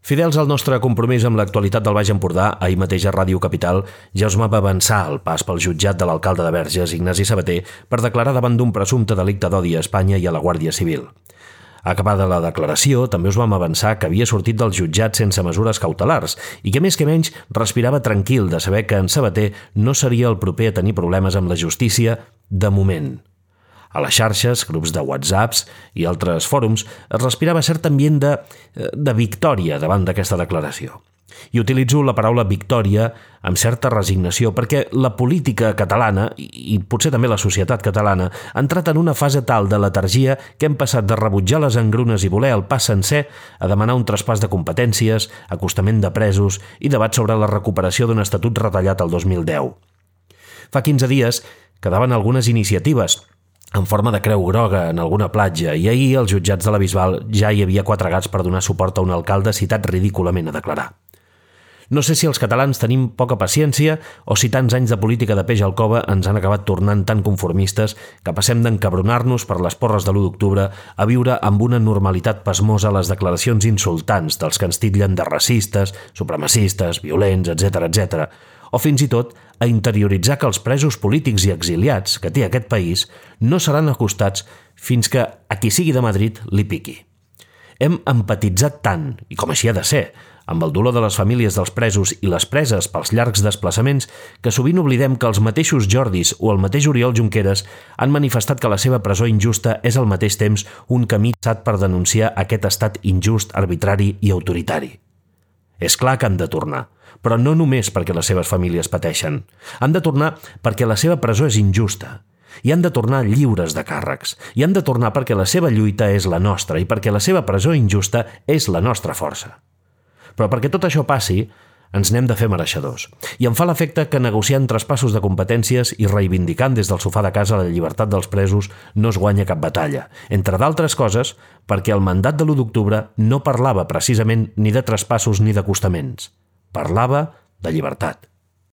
Fidels al nostre compromís amb l'actualitat del Baix Empordà, ahir mateix a Ràdio Capital ja us va avançar el pas pel jutjat de l'alcalde de Verges, Ignasi Sabater, per declarar davant d'un presumpte delicte d'odi a Espanya i a la Guàrdia Civil. Acabada la declaració, també us vam avançar que havia sortit del jutjat sense mesures cautelars i que més respirava tranquil de saber que en Sabater no seria el proper a tenir problemes amb la justícia de moment. A les xarxes, grups de WhatsApps i altres fòrums es respirava cert ambient de victòria davant d'aquesta declaració. I utilitzo la paraula victòria amb certa resignació perquè la política catalana, i potser també la societat catalana, ha entrat en una fase tal de letargia que hem passat de rebutjar les engrunes i voler el pas sencer a demanar un traspàs de competències, acostament de presos i debat sobre la recuperació d'un estatut retallat el 2010. Fa 15 dies quedaven algunes iniciatives en forma de creu groga en alguna platja i ahir als jutjats de la Bisbal ja hi havia 4 gats per donar suport a un alcalde citat ridículament a declarar. No sé si els catalans tenim poca paciència o si tants anys de política de peix al cova ens han acabat tornant tan conformistes que passem d'encabronar-nos per les porres de l'1 d'octubre a viure amb una normalitat pasmosa les declaracions insultants dels que ens titllen de racistes, supremacistes, violents, etc., o fins i tot a interioritzar que els presos polítics i exiliats que té aquest país no seran acostats fins que a qui sigui de Madrid li piqui. Hem empatitzat tant, i com així ha de ser, amb el dolor de les famílies dels presos i les preses pels llargs desplaçaments que sovint oblidem que els mateixos Jordis o el mateix Oriol Junqueras han manifestat que la seva presó injusta és al mateix temps un camí traçat per denunciar aquest estat injust, arbitrari i autoritari. És clar que han de tornar, però no només perquè les seves famílies pateixen. Han de tornar perquè la seva presó és injusta. I han de tornar lliures de càrrecs. I han de tornar perquè la seva lluita és la nostra i perquè la seva presó injusta és la nostra força. Però perquè tot això passi, ens n'hem de fer mereixedors. I em fa l'efecte que negociant traspassos de competències i reivindicant des del sofà de casa la llibertat dels presos no es guanya cap batalla. Entre d'altres coses, perquè el mandat de l'1 d'octubre no parlava precisament ni de traspassos ni d'acostaments. Parlava de llibertat.